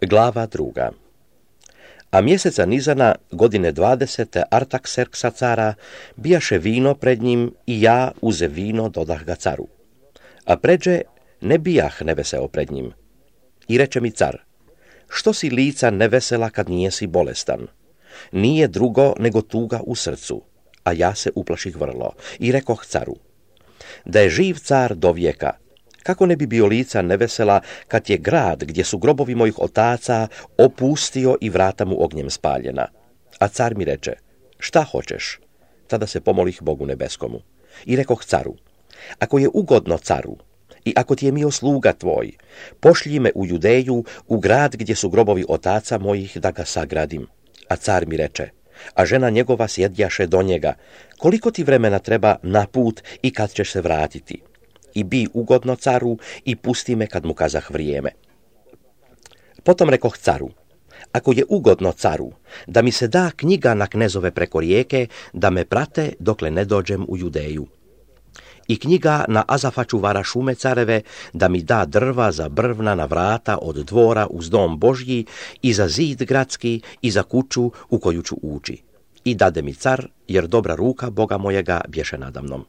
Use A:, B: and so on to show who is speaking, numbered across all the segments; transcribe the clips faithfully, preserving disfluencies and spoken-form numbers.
A: Glava druga. A mjeseca Nizana, godine dvadesete Artakserksa cara, bijaše vino pred njim i ja uze vino dodah ga caru. A pređe ne bijah neveseo pred njim. I reče mi car, što si lica nevesela kad nijesi bolestan? Nije drugo nego tuga u srcu, a ja se uplaših vrlo i rekoh caru, da je živ car do vijeka, kako ne bi bio lica nevesela kad je grad gdje su grobovi mojih otaca opustio i vrata mu ognjem spaljena. A car mi reče, šta hoćeš? Tada se pomolih Bogu nebeskomu i rekoh caru, ako je ugodno caru i ako ti je mio sluga tvoj, pošlji me u Judeju, u grad gdje su grobovi otaca mojih, da ga sagradim. A car mi reče, a žena njegova sjedjaše do njega, koliko ti vremena treba na put i kad ćeš se vratiti? I bi ugodno caru i pusti me kad mu kazah vrijeme. Potom rekoh caru, ako je ugodno caru, da mi se da knjiga na knezove preko rijeke, da me prate dokle ne dođem u Judeju. I knjiga na Azafa čuvara šume careve, da mi da drva za brvna na vrata od dvora uz dom Božji i za zid gradski i za kuću u koju ću ući. I dade mi car, jer dobra ruka Boga mojega bješe nadamnom.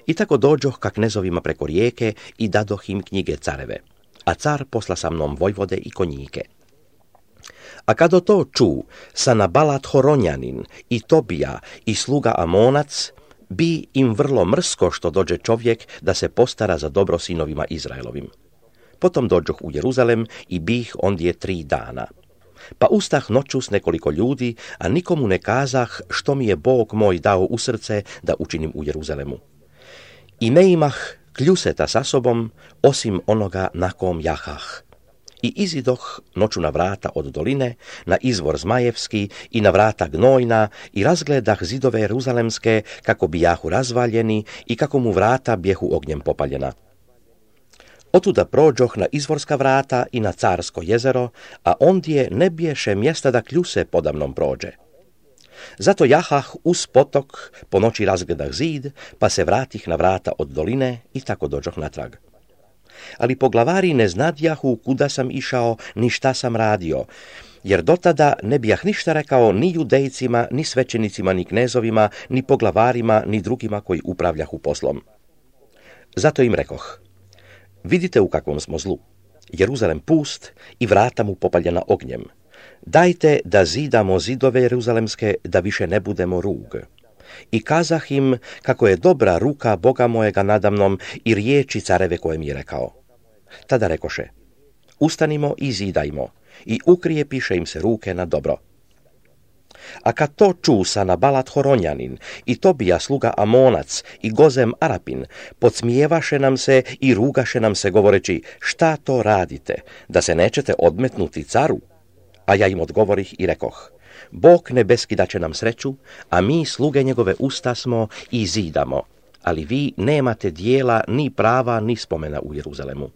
A: I tako dođoh ka knezovima preko rijeke i dadoh im knjige careve, a car posla sa mnom vojvode i konjike. A kada to ču Sanabalat Horonjanin i Tobija i sluga Amonac, bi im vrlo mrsko što dođe čovjek da se postara za dobro sinovima Izraelovim. Potom dođoh u Jeruzalem i bih ondje tri dana. Pa ustah noću s nekoliko ljudi, a nikomu ne kazah što mi je Bog moj dao u srce da učinim u Jeruzalemu. I ne imah kljuseta sa sobom, osim onoga na kom jahah. I izidoh noću na vrata od doline, na izvor Zmajevski i na vrata Gnojna i razgledah zidove Jeruzalemske kako bijahu razvaljeni i kako mu vrata bjehu ognjem popaljena. Otuda prođoh na izvorska vrata i na Carsko jezero, a ondje ne biješe mjesta da kljuse podamnom prođe. Zato jahah uz potok, po noći razgledah zid, pa se vratih na vrata od doline i tako dođoh natrag. Ali poglavari ne znadjahu kuda sam išao, ni šta sam radio, jer dotada ne bijah ništa rekao ni judejcima, ni svećenicima, ni knezovima, ni poglavarima, ni drugima koji upravljahu poslom. Zato im rekoh, vidite u kakvom smo zlu, Jeruzalem pust i vrata mu popaljena ognjem. Dajte da zidamo zidove Jeruzalemske, da više ne budemo rug. I kazah im kako je dobra ruka Boga mojega nadamnom i riječi careve koje mi je rekao. Tada rekoše, ustanimo i zidajmo, i ukrijepiše im se ruke na dobro. A kad to ču Sanabalat Horonjanin i Tobija sluga Amonac i Gozem Arapin, podsmijevaše nam se i rugaše nam se govoreći, šta to radite, da se nećete odmetnuti caru? A ja im odgovorih i rekoh, Bog nebeski daće nam sreću, a mi sluge njegove usta smo i zidamo, ali vi nemate dijela ni prava ni spomena u Jeruzalemu.